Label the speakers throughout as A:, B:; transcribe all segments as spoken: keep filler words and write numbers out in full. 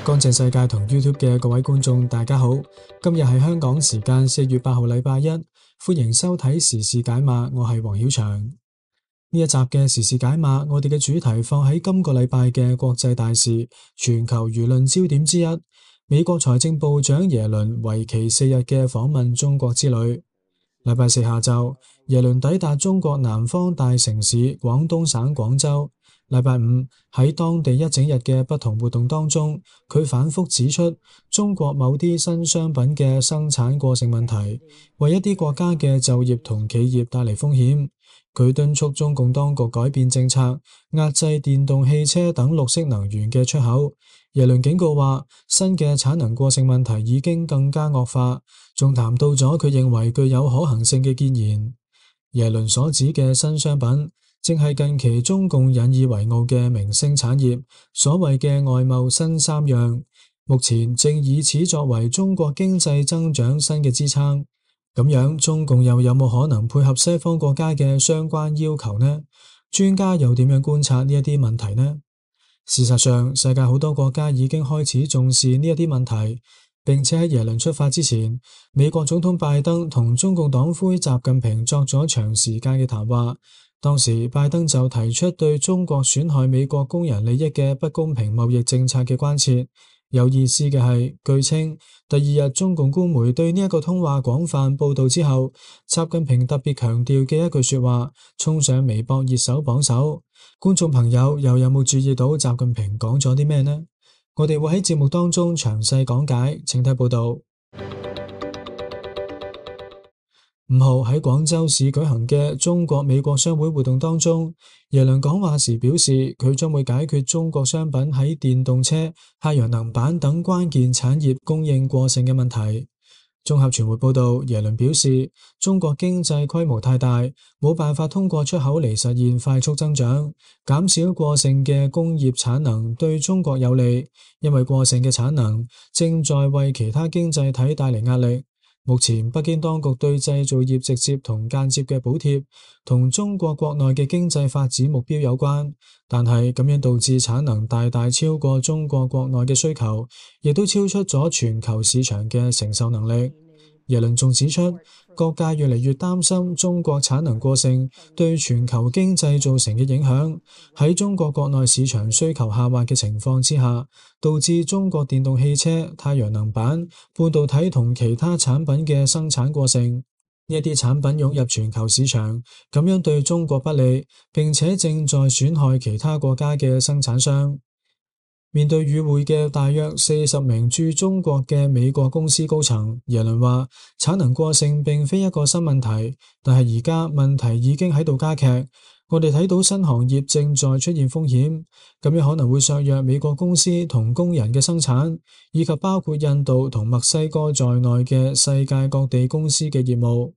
A: 乾淨世界同 YouTube 嘅各位觀眾，大家好。今日係香港時間四月八號，禮拜一，歡迎收睇時事解碼。我係黃曉翔。呢一集嘅時事解碼，我哋嘅主題放喺今個禮拜嘅國際大事、全球輿論焦點之一——美國財政部長耶倫為期四日嘅訪問中國之旅。禮拜四下晝，耶倫抵達中國南方大城市廣東省廣州。禮拜五喺當地一整日嘅不同活動當中，佢反覆指出中國某啲新商品嘅生產過剩問題，為一啲國家嘅就業同企業帶嚟風險。佢敦促中共當局改變政策，壓制電動汽車等綠色能源嘅出口。耶倫警告話，新嘅產能過剩問題已經更加惡化，仲談到咗佢認為具有可行性嘅建言。耶倫所指嘅新商品，正係近期中共引以為傲嘅明星產業，所謂嘅外貿新三樣，目前正以此作為中國經濟增長新嘅支撐。咁樣，中共又有冇可能配合西方國家嘅相關要求呢？專家又點樣觀察呢一啲問題呢？事實上，世界好多國家已經開始重視呢一啲問題，並且喺耶倫出發之前，美國總統拜登同中共黨魁習近平作咗長時間嘅談話。當時拜登就提出對中國損害美國工人利益嘅不公平貿易政策嘅關切。有意思嘅係，據稱第二日中共官媒對呢一個通話廣泛報道之後，習近平特別強調嘅一句說話衝上微博熱搜榜首。觀眾朋友又有冇注意到習近平講咗啲咩呢？我哋會喺節目當中詳細講解，請睇報道。五號喺廣州市舉行嘅中國美國商會活動當中，耶倫講話時表示，佢將會解決中國商品喺電動車、太陽能板等關鍵產業供應過剩嘅問題。綜合傳媒報道，耶倫表示，中國經濟規模太大，冇辦法通過出口嚟實現快速增長，減少過剩嘅工業產能對中國有利，因為過剩嘅產能正在為其他經濟體帶嚟壓力。目前北京當局對製造業直接同間接嘅補貼同中國國內嘅經濟發展目標有關，但係咁樣導致產能大大超過中國國內嘅需求，亦都超出咗全球市場嘅承受能力。耶倫仲指出，各界越嚟越擔心中國產能過剩對全球經濟造成嘅影響，喺中國國內市場需求下滑嘅情況之下，導致中國電動汽車、太陽能板、半導體同其他產品嘅生產過剩。呢一啲產品湧入全球市場，咁樣對中國不利，並且正在損害其他國家嘅生產商。面對與會嘅大約四十名駐中國嘅美國公司高層，耶倫話產能過剩並非一個新問題，但係而家問題已經喺度加劇。我哋睇到新行業正在出現風險，咁樣可能會削弱美國公司同工人嘅生產，以及包括印度同墨西哥在內嘅世界各地公司嘅業務。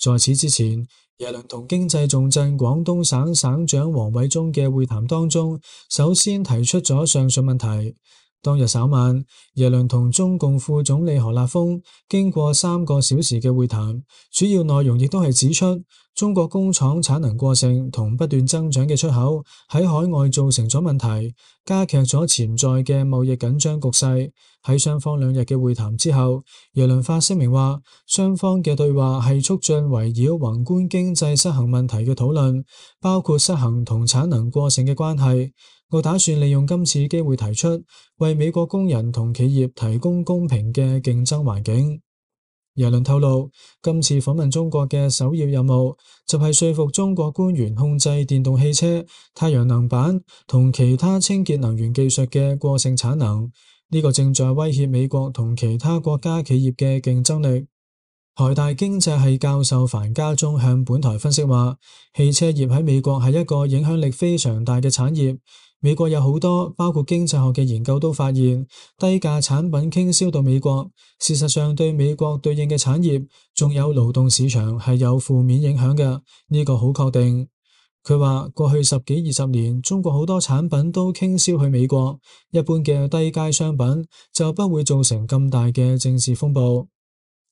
A: 在此之前，耶倫同經濟重鎮廣東省省長王偉中嘅會談當中，首先提出咗上述問題。當日稍晚，耶倫同中共副總理何立峰經過三個小時嘅會談，主要內容亦都係指出中國工廠產能過剩同不斷增長嘅出口喺海外造成咗問題，加劇咗潛在嘅貿易緊張局勢。喺雙方兩日嘅會談之後，耶倫發聲明話，雙方嘅對話係促進圍繞宏觀經濟失衡問題嘅討論，包括失衡同產能過剩嘅關係。我打算利用今次機會提出，為美國工人同企業提供公平嘅競爭環境。耶倫透露，今次訪問中國嘅首要任務就係說服中國官員控制電動汽車、太陽能板同其他清潔能源技術嘅過剩產能。呢個正在威脅美國同其他國家企業嘅競爭力。台大經濟系教授樊家忠向本台分析話，汽車業喺美國係一個影響力非常大嘅產業。美國有好多包括經濟學嘅研究都發現，低價產品傾銷到美國，事實上對美國對應嘅產業仲有勞動市場係有負面影響嘅，呢個好確定。佢話過去十幾二十年，中國好多產品都傾銷去美國，一般嘅低階商品就不會造成咁大嘅政治風暴。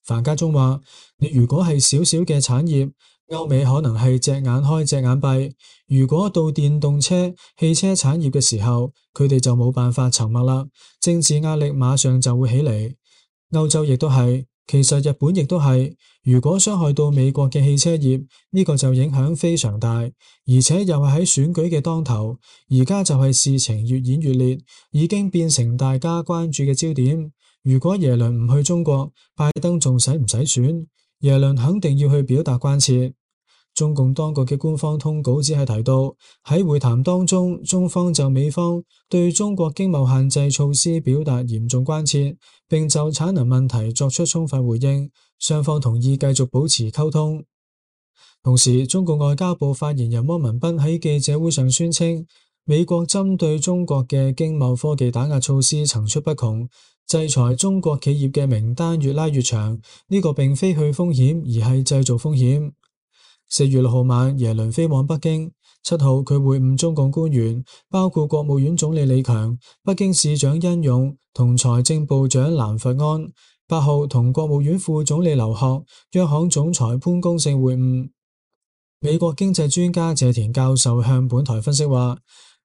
A: 樊家忠話，你如果係小小嘅產業，歐美可能係隻眼開隻眼閉，如果到電動車、汽車產業嘅時候，佢哋就冇辦法沉默啦，政治壓力馬上就會起嚟。歐洲亦都係，其實日本亦都係，如果傷害到美國嘅汽車業，呢個就影響非常大，而且又係喺選舉嘅當頭，而家就係事情越演越烈，已經變成大家關注嘅焦點。如果耶倫唔去中國，拜登仲使唔使選？耶倫肯定要去表達關切。中共當局嘅官方通稿只係提到，喺會談當中，中方就美方對中國經貿限制措施表達嚴重關切，並就產能問題作出充分回應，雙方同意繼續保持溝通。同時，中共外交部發言人汪文斌喺記者會上宣稱，美國針對中國嘅經貿科技打壓措施層出不窮，制裁中國企業嘅名單越拉越長，呢個並非去風險，而係製造風險。四月六號晚，耶倫飛往北京。七號，佢會晤中共官員，包括國務院總理李強、北京市長殷勇同財政部長藍佛安。八號，同國務院副總理劉鶴、央行總裁潘功勝會晤。美國經濟專家謝田教授向本台分析話，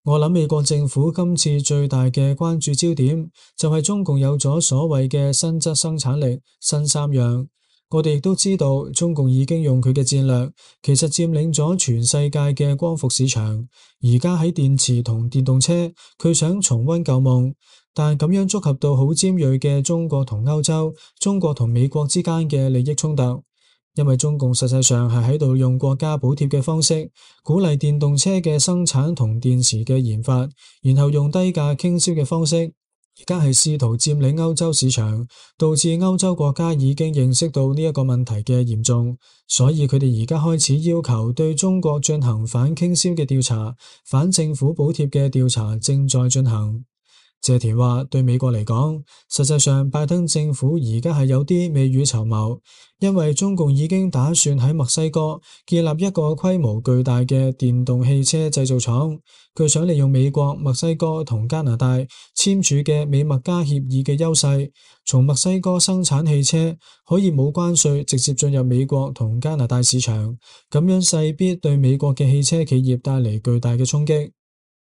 A: 我諗美國政府今次最大嘅關注焦點就係中共有咗所謂嘅新質生產力新三樣。我哋亦都知道，中共已經用佢嘅戰略，其實佔領咗全世界嘅光伏市場。而家喺電池同電動車，佢想重溫舊夢，但咁樣觸及到好尖銳嘅中國同歐洲、中國同美國之間嘅利益衝突。因為中共實際上係喺度用國家補貼嘅方式，鼓勵電動車嘅生產同電池嘅研發，然後用低價傾銷嘅方式。而家係試圖佔領歐洲市場，導致歐洲國家已經認識到呢一個問題嘅嚴重，所以佢哋而家開始要求對中國進行反傾銷嘅調查，反政府補貼嘅調查正在進行。謝田話：對美國嚟講，實際上拜登政府而家係有啲未雨綢繆，因為中共已經打算喺墨西哥建立一個規模巨大嘅電動汽車製造廠，佢想利用美國、墨西哥同加拿大簽署嘅美墨加協議嘅優勢，從墨西哥生產汽車可以冇關稅直接進入美國同加拿大市場，咁樣勢必對美國嘅汽車企業帶嚟巨大嘅衝擊。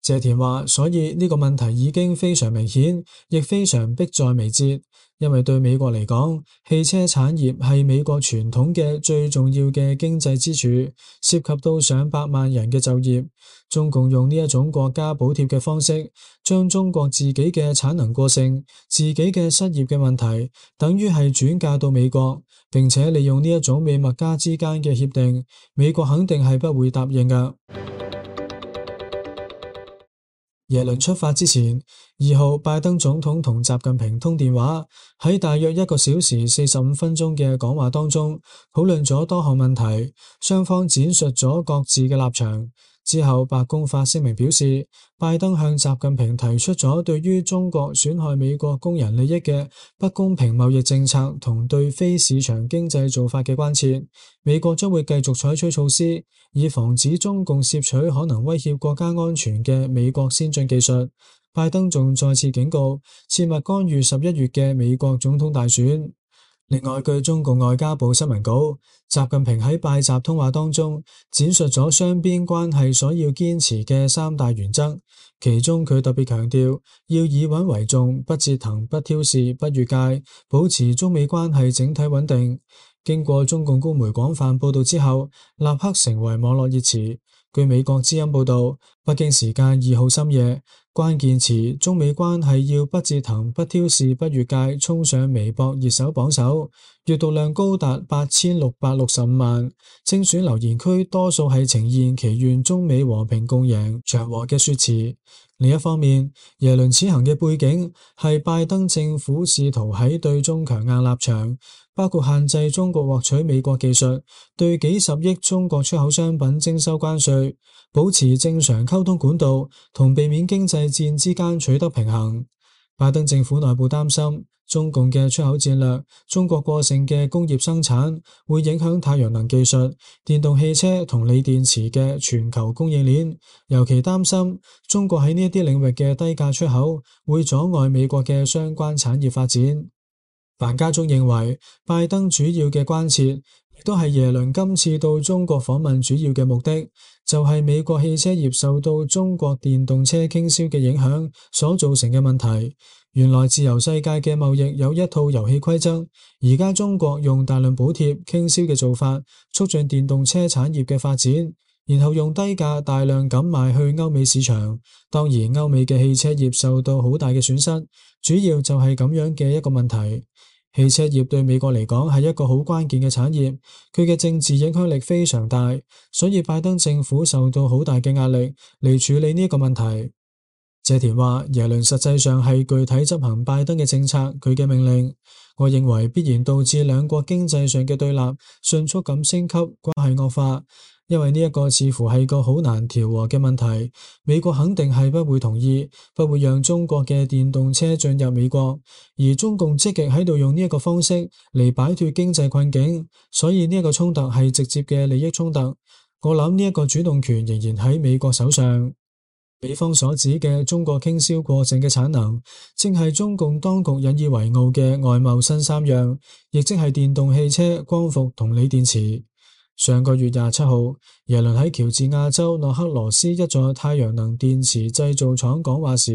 A: 謝田話，所以呢個問題已經非常明顯，亦非常迫在眉睫，因為對美國嚟講，汽車產業係美國傳統嘅最重要嘅經濟支柱，涉及到上百萬人嘅就業。中共用呢一種國家補貼嘅方式，將中國自己嘅產能過剩、自己嘅失業嘅問題，等於係轉嫁到美國，並且利用呢一種美墨加之間嘅協定，美國肯定係不會答應㗎。耶倫出發之前，二號拜登總統同習近平通電話，喺大約一個小時四十五分鐘嘅講話當中，討論咗多項問題，雙方闡述咗各自嘅立場。之後，白宮發聲明表示，拜登向習近平提出咗對於中國損害美國工人利益嘅不公平貿易政策同對非市場經濟做法嘅關切，美國將會繼續採取措施，以防止中共攝取可能威脅國家安全嘅美國先進技術。拜登仲再次警告，切勿干預十一月嘅美國總統大選。另外，據中共外交部新聞稿，習近平喺拜習通話當中闡述咗雙邊關係所要堅持嘅三大原則，其中佢特別強調要以穩為重，不折騰、不挑事、不越界，保持中美關係整體穩定。經過中共官媒廣泛報道之後，立刻成為網絡熱詞。據美國之音報道，北京時間二號深夜，關鍵詞中美關係要不折騰、不挑事、不越界衝上微博熱搜榜首，閱讀量高達八千六百六十五萬。精選留言區多數係呈現祈願中美和平共贏、祥和嘅說辭。另一方面，耶倫此行嘅背景係拜登政府試圖喺對中強硬立場，包括限制中國獲取美國技術，對幾十億中國出口商品徵收關稅，保持正常溝通管道同避免經濟戰之間取得平衡。拜登政府內部擔心中共嘅出口戰略，中國過剩嘅工業生產會影響太陽能技術、電動汽車同鋰電池嘅全球供應鏈，尤其擔心中國喺呢一啲領域嘅低價出口會阻礙美國嘅相關產業發展。范家忠認為，拜登主要嘅關切亦都係耶倫今次到中國訪問主要嘅目的，就係美國汽車業受到中國電動車傾銷嘅影響所造成嘅問題。原來自由世界嘅貿易有一套遊戲規則，而家中國用大量補貼傾銷嘅做法，促進電動車產業嘅發展，然後用低價大量咁賣去歐美市場。當然，歐美嘅汽車業受到好大嘅損失，主要就係咁樣嘅一個問題。汽車業對美國嚟講係一個好關鍵嘅產業，佢嘅政治影響力非常大，所以拜登政府受到好大嘅壓力嚟處理呢一個問題。謝田話，耶倫實際上係具體執行拜登嘅政策，佢嘅命令，我認為必然導致兩國經濟上嘅對立迅速咁升級，關係惡化，因為呢一個似乎係個好難調和嘅問題。美國肯定係不會同意，不會讓中國嘅電動車進入美國，而中共積極喺度用呢一個方式嚟擺脫經濟困境，所以呢一個衝突係直接嘅利益衝突。我諗呢一個主動權仍然喺美國手上。美方所指嘅中國傾銷過剩嘅產能，正係中共當局引以為傲嘅外貿新三樣，亦即係電動汽車、光伏同鋰電池。上個月廿七號，耶倫喺喬治亞州諾克羅斯一座太陽能電池製造廠講話時，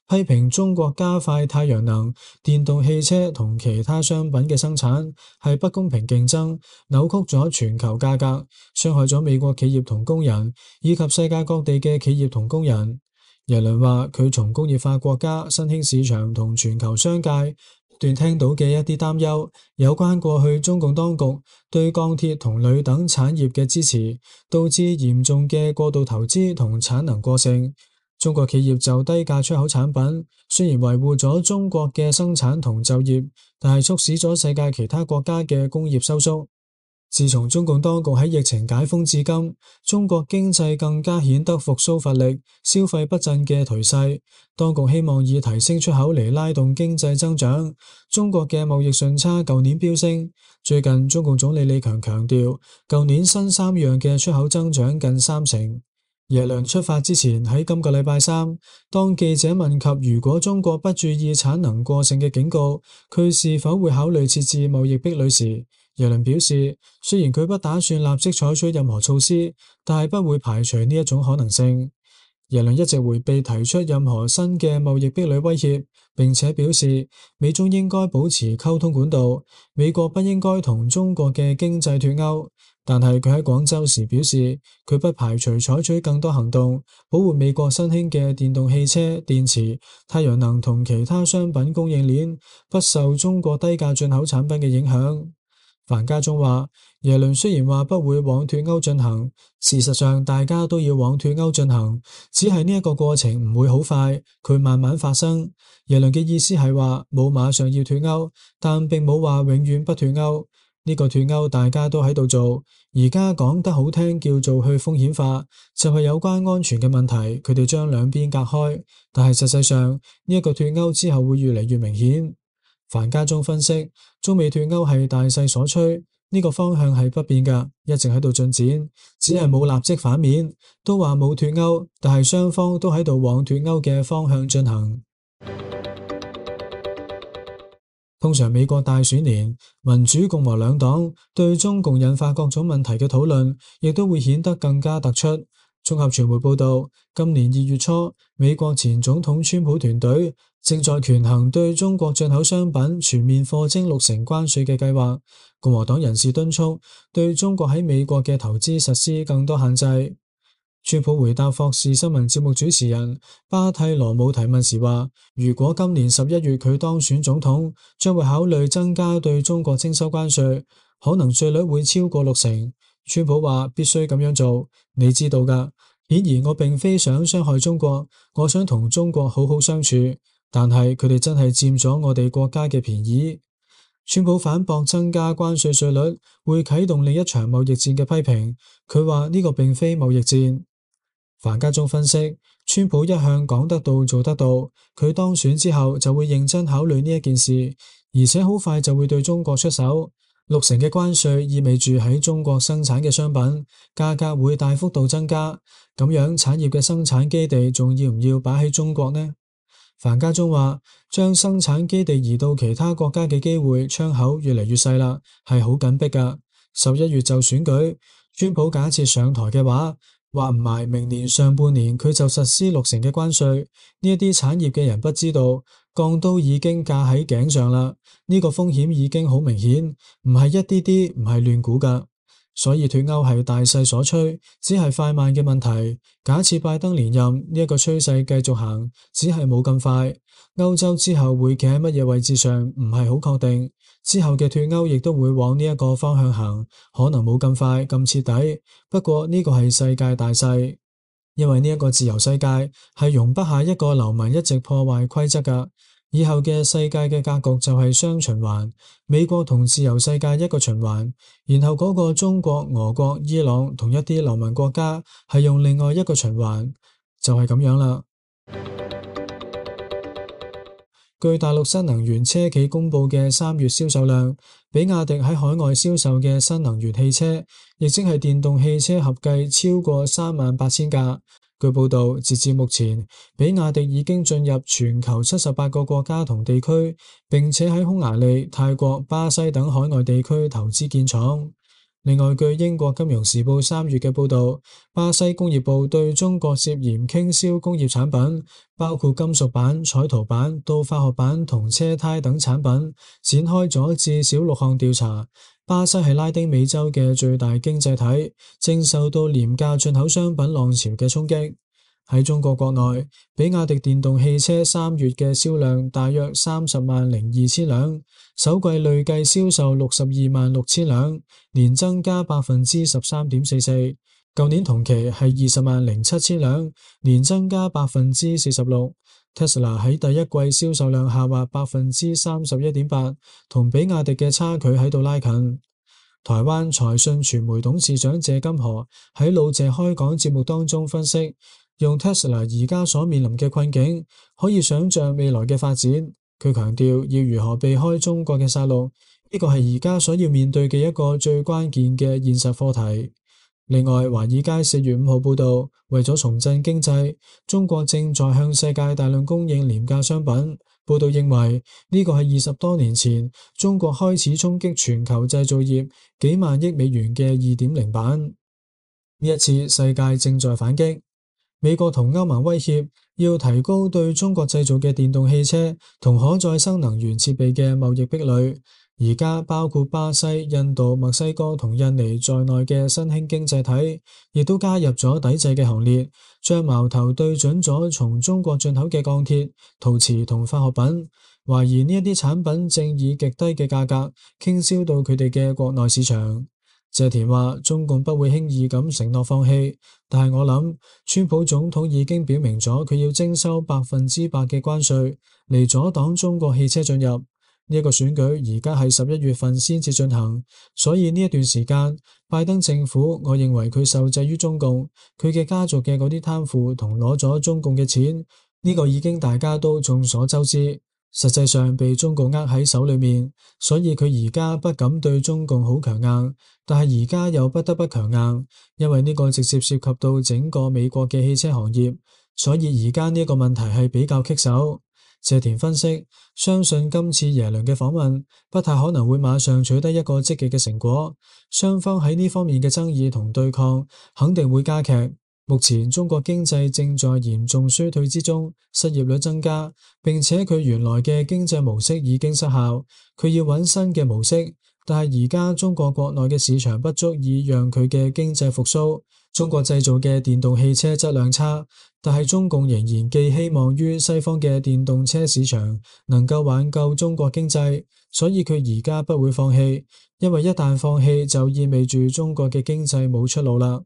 A: 批評中國加快太陽能、電動汽車同其他商品嘅生產係不公平競爭，扭曲咗全球價格，傷害咗美國企業同工人，以及世界各地嘅企業同工人。耶倫話，佢從工業化國家、新興市場同全球商界段聽到嘅一啲擔憂，有關過去中共當局對鋼鐵同鋁等產業嘅支持，導致嚴重嘅過度投資同產能過剩。中國企業就低價出口產品，雖然維護咗中國嘅生產同就業，但係促使咗世界其他國家嘅工業收縮。自從中共當局喺疫情解封至今，中國經濟更加顯得復甦乏力、消費不振嘅頹勢。當局希望以提升出口嚟拉動經濟增長。中國嘅貿易順差舊年飆升，最近中共總理李強強調，舊年新三樣嘅出口增長近三成。耶倫出發之前喺今個禮拜三，當記者問及如果中國不注意產能過剩嘅警告，佢是否會考慮設置貿易壁壘時，耶倫表示，雖然佢不打算立即採取任何措施，但係不會排除呢一種可能性。耶倫一直迴避提出任何新嘅貿易壁壘威脅，並且表示美中應該保持溝通管道，美國不應該同中國嘅經濟脫鈎。但係佢喺廣州時表示，佢不排除採取更多行動，保護美國新興嘅電動汽車、電池、太陽能同其他商品供應鏈不受中國低價進口產品嘅影響。樊家忠話，耶倫雖然話不會往脫歐進行，事實上大家都要往脫歐進行，只係呢一個過程唔會好快，佢慢慢發生。耶倫嘅意思係話冇馬上要脫歐，但並冇話永遠不脫歐。呢個脫歐大家都喺度做，而家講得好聽叫做去風險化，就係有關安全嘅問題，佢哋將兩邊隔開，但係實際上呢一個脫歐之後會越嚟越明顯。樊家忠分析，中美脫歐係大勢所趨，呢個方向係不變㗎，一直喺度進展，只係冇立即反面，都話冇脫歐，但係雙方都喺度往脫歐嘅方向進行。通常美國大選年，民主共和兩黨對中共引發各種問題嘅討論，亦都會顯得更加突出。綜合傳媒報道，今年二月初，美國前總統川普團隊正在權衡對中國進口商品全面課徵六成關稅嘅計劃。共和黨人士敦促對中國喺美國嘅投資實施更多限制。川普回答霍士新聞節目主持人巴蒂羅姆提問時話，如果今年十一月佢當選總統，將會考慮增加對中國徵收關稅，可能稅率會超過六成。川普話必須咁樣做，你知道㗎。顯然我並非想傷害中國，我想同中國好好相處，但係佢哋真係佔咗我哋國家嘅便宜。川普反駁增加關稅稅率會啟動另一場貿易戰嘅批評，佢話呢個並非貿易戰。樊家忠分析，川普一向講得到做得到，佢當選之後就會認真考慮呢一件事，而且好快就會對中國出手。六成嘅關稅意味住喺中國生產嘅商品價格會大幅度增加，咁樣產業嘅生產基地仲要唔要擺喺中國呢？樊家忠話，將生產基地移到其他國家嘅機會窗口越嚟越細啦，係好緊迫㗎。十一月就選舉，川普假設上台嘅話，話唔埋明年上半年佢就實施六成嘅關稅。呢一啲產業嘅人不知道，鋼刀已經架喺頸上啦。呢個風險已經好明顯，唔係一啲啲，唔係亂估噶。所以脫歐係大勢所趨，只係快慢嘅問題。假設拜登連任，呢一個趨勢繼續行，只係冇咁快。歐洲之後會企喺乜嘢位置上，唔係好確定。之後嘅脫歐亦都會往呢一個方向行，可能冇咁快咁徹底。不過呢個係世界大勢，因為呢一個自由世界係容不下一個流氓一直破壞規則噶。以後嘅世界嘅格局就係雙循環，美國同自由世界一個循環，然後嗰個中國、俄國、伊朗同一啲流氓國家係用另外一個循環，就係咁樣啦。據大陸新能源車企公布嘅三月銷售量，比亞迪喺海外銷售嘅新能源汽車，亦即係電動汽車合計超過三萬八千架。據報道，截至目前，比亞迪已經進入全球七十八個國家同地區，並且喺匈牙利、泰國、巴西等海外地區投資建廠。另外，據英國金融時報三月嘅報道，巴西工業部對中國涉嫌傾銷工業產品，包括金屬板、彩陶板到化學板同車胎等產品，展開咗至少六項調查。巴西係拉丁美洲嘅最大經濟體，正受到廉價進口商品浪潮嘅衝擊。喺中國國內，比亞迪電動汽車三月嘅銷量大約三十萬零二千輛，首季累計銷售六十二萬六千輛，年增加百分之十三點四四。舊年同期係二十萬零七千輛，年增加百分之四十六。Tesla 喺第一季銷售量下滑百分之三十一點八，同比亞迪嘅差距喺度拉近。台灣財訊傳媒董事長謝金河喺老謝開講節目當中分析，用 Tesla 而家所面臨嘅困境，可以想象未來嘅發展。佢強調要如何避開中國嘅殺戮，呢個係而家所要面對嘅一個最關鍵嘅現實課題。另外，華爾街四月五號報道，為咗重振經濟，中國正在向世界大量供應廉價商品。報道認為，呢個係二十多年前中國開始衝擊全球製造業幾萬億美元嘅二點零版。呢一次世界正在反擊，美國同歐盟威脅要提高對中國製造嘅電動汽車同可再生能源設備嘅貿易壁壘。而家包括巴西、印度、墨西哥同印尼在內嘅新興經濟體，亦都加入咗抵制嘅行列，將矛頭對準咗從中國進口嘅鋼鐵、陶瓷同化學品，懷疑呢一啲產品正以極低嘅價格傾銷到佢哋嘅國內市場。謝田話：中共不會輕易咁承諾放棄，但係我諗，川普總統已經表明咗佢要徵收百分之百嘅關稅嚟阻擋中國汽車進入。呢一個選舉而家係十一月份先至進行，所以呢一段時間，拜登政府我認為佢受制於中共，佢嘅家族嘅嗰啲貪腐同攞咗中共嘅錢，呢個已經大家都眾所周知，實際上被中共握喺手裏面，所以佢而家不敢對中共好強硬，但係而家又不得不強硬，因為呢個直接涉及到整個美國嘅汽車行業，所以而家呢個問題係比較棘手。謝田分析，相信今次耶倫嘅訪問不太可能會馬上取得一個積極嘅成果，雙方喺呢方面嘅爭議同對抗肯定會加劇。目前中國經濟正在嚴重衰退之中，失業率增加，並且佢原來嘅經濟模式已經失效，佢要揾新嘅模式，但係而家中國國內嘅市場不足以讓佢嘅經濟復甦。中國製造嘅電動汽車質量差，但係中共仍然寄希望於西方嘅電動車市場能夠挽救中國經濟，所以佢而家不會放棄，因為一旦放棄就意味住中國嘅經濟冇出路啦。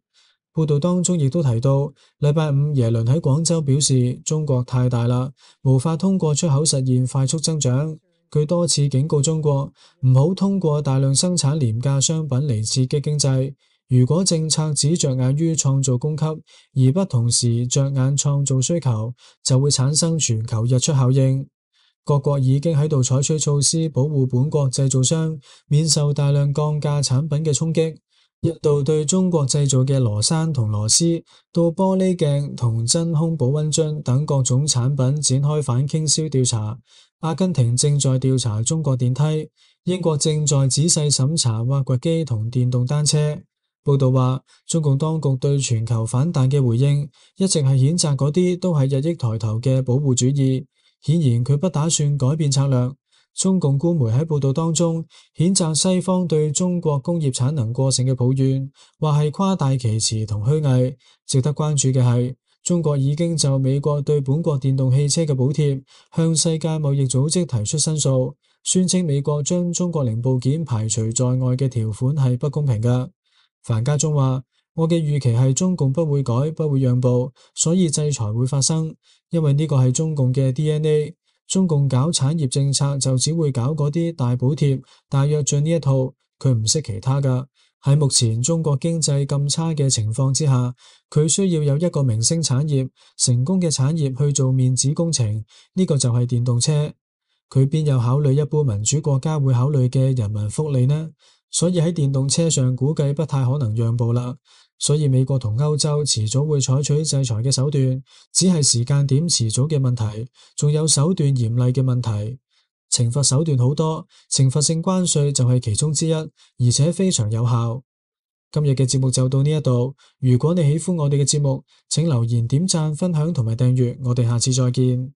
A: 報道當中亦都提到，禮拜五耶倫喺廣州表示，中國太大啦，無法通過出口實現快速增長。佢多次警告中國唔好通過大量生產廉價商品嚟刺激經濟。如果政策只着眼於創造供給，而不同時着眼創造需求，就會產生全球溢出效應。各國已經喺度採取措施保護本國製造商免受大量降價產品嘅衝擊。印度對中國製造嘅螺栓同螺絲到玻璃鏡同真空保溫樽等各種產品展開反傾銷調查。阿根廷正在調查中國電梯，英國正在仔細審查挖掘機同電動單車。報道話，中共當局對全球反彈嘅回應，一直係譴責嗰啲都係日益抬頭嘅保護主義。顯然佢不打算改變策略。中共官媒喺報道當中譴責西方對中國工業產能過剩嘅抱怨，話係誇大其詞同虛偽。值得關注嘅係，中國已經就美國對本國電動汽車嘅補貼向世界貿易組織提出申訴，宣稱美國將中國零部件排除在外嘅條款係不公平㗎。樊家忠話：我嘅預期係中共不會改，不會讓步，所以制裁會發生，因為呢個係中共嘅 D N A。中共搞產業政策就只會搞嗰啲大補貼、大躍進呢一套，佢唔識其他㗎。喺目前中國經濟咁差嘅情況之下，佢需要有一個明星產業、成功嘅產業去做面子工程，呢個就係電動車。佢邊有考慮一般民主國家會考慮嘅人民福利呢？所以喺電動車上估計不太可能讓步啦。所以美國同歐洲遲早會採取制裁嘅手段，只係時間點遲早嘅問題，仲有手段嚴厲嘅問題。懲罰手段好多，懲罰性關稅就係其中之一，而且非常有效。今日嘅節目就到呢一度。如果你喜歡我哋嘅節目，請留言、點讚、分享同埋訂閱。我哋下次再見。